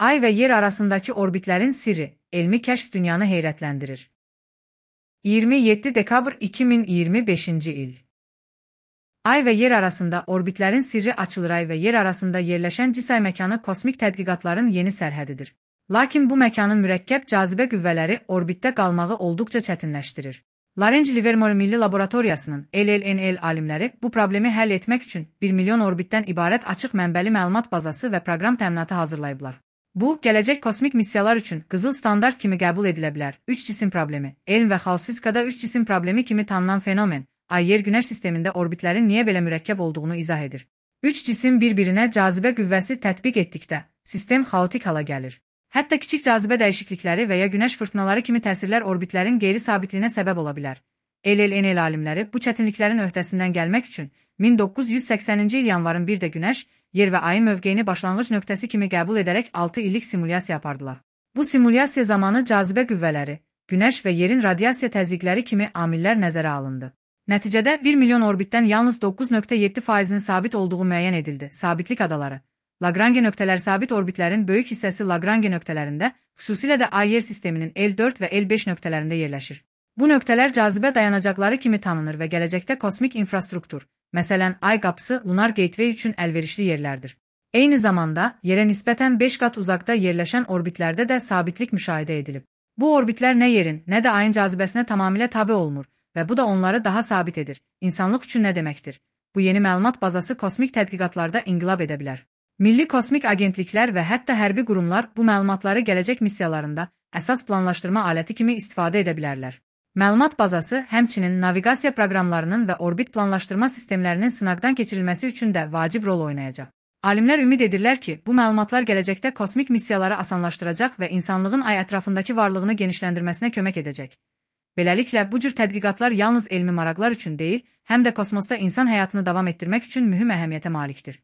Ay və yer arasındakı orbitlərin sirri, elmi kəşf dünyanı heyrətləndirir. 27 dekabr 2025-ci il. Ay və yer arasında orbitlərin sirri açılır. Ay və yer arasında yerləşən cisay məkanı kosmik tədqiqatların yeni sərhədidir. Lakin bu məkanın mürəkkəb cazibə qüvvələri orbitdə qalmağı olduqca çətinləşdirir. Lawrence Livermore Milli Laboratoriyasının LLNL alimləri bu problemi həll etmək üçün 1 milyon orbitdən ibarət açıq mənbəli məlumat bazası və proqram təminatı hazırlayıblar. Bu, gələcək kosmik missiyalar üçün qızıl standart kimi qəbul edilə bilər. 3 cisim problemi. Elm və xaos fizikada 3 cisim problemi kimi tanınan fenomen, Ay-Yer-Günəş sistemində orbitlərin niyə belə mürəkkəb olduğunu izah edir. 3 cisim bir-birinə cazibə qüvvəsi tətbiq etdikdə, sistem xaotik hala gəlir. Hətta kiçik cazibə dəyişiklikləri və ya günəş fırtınaları kimi təsirlər orbitlərin qeyri-sabitliyinə səbəb ola bilər. LLNL alimləri bu çətinliklərin öhdəsindən gəlmək üçün 1980-ci il yanvarın 1-də Günəş, Yer və Ayın mövqeyini başlanğıc nöqtəsi kimi qəbul edərək 6 illik simulyasiya apardılar. Bu simulyasiya zamanı cazibə qüvvələri, Günəş və Yerin radiasiya təzyiqləri kimi amillər nəzərə alındı. Nəticədə 1 milyon orbitdən yalnız 9,7%-nin sabit olduğu müəyyən edildi. Sabitlik adaları. Lagrange nöqtələr sabit orbitlərin böyük hissəsi Lagrange nöqtələrində, xüsusilə də Ay-Yer sisteminin L4 və L5 nöqtələrində yerləşir. Bu nöqtələr cazibə dayanacaqları kimi tanınır və gələcəkdə kosmik infrastruktur, məsələn, Ay qapısı, Lunar Gateway üçün əlverişli yerlərdir. Eyni zamanda, Yerə nisbətən 5 qat uzaqda yerləşən orbitlərdə də sabitlik müşahidə edilib. Bu orbitlər nə Yerin, nə də Ayın cazibəsinə tamamilə tabe olunur və bu da onları daha sabit edir. İnsanlıq üçün nə deməkdir? Bu yeni məlumat bazası kosmik tədqiqatlarda inqilab edə bilər. Milli kosmik agentliklər və hətta hərbi qurumlar bu məlumatları gələcək missiyalarında əsas planlaşdırma aləti kimi istifadə edə bilərlər. Məlumat bazası həmçinin naviqasiya proqramlarının və orbit planlaşdırma sistemlərinin sınaqdan keçirilməsi üçün də vacib rol oynayacaq. Alimlər ümid edirlər ki, bu məlumatlar gələcəkdə kosmik missiyaları asanlaşdıracaq və insanlığın Ay ətrafındakı varlığını genişləndirməsinə kömək edəcək. Beləliklə, bu cür tədqiqatlar yalnız elmi maraqlar üçün deyil, həm də kosmosda insan həyatını davam etdirmək üçün mühüm əhəmiyyətə malikdir.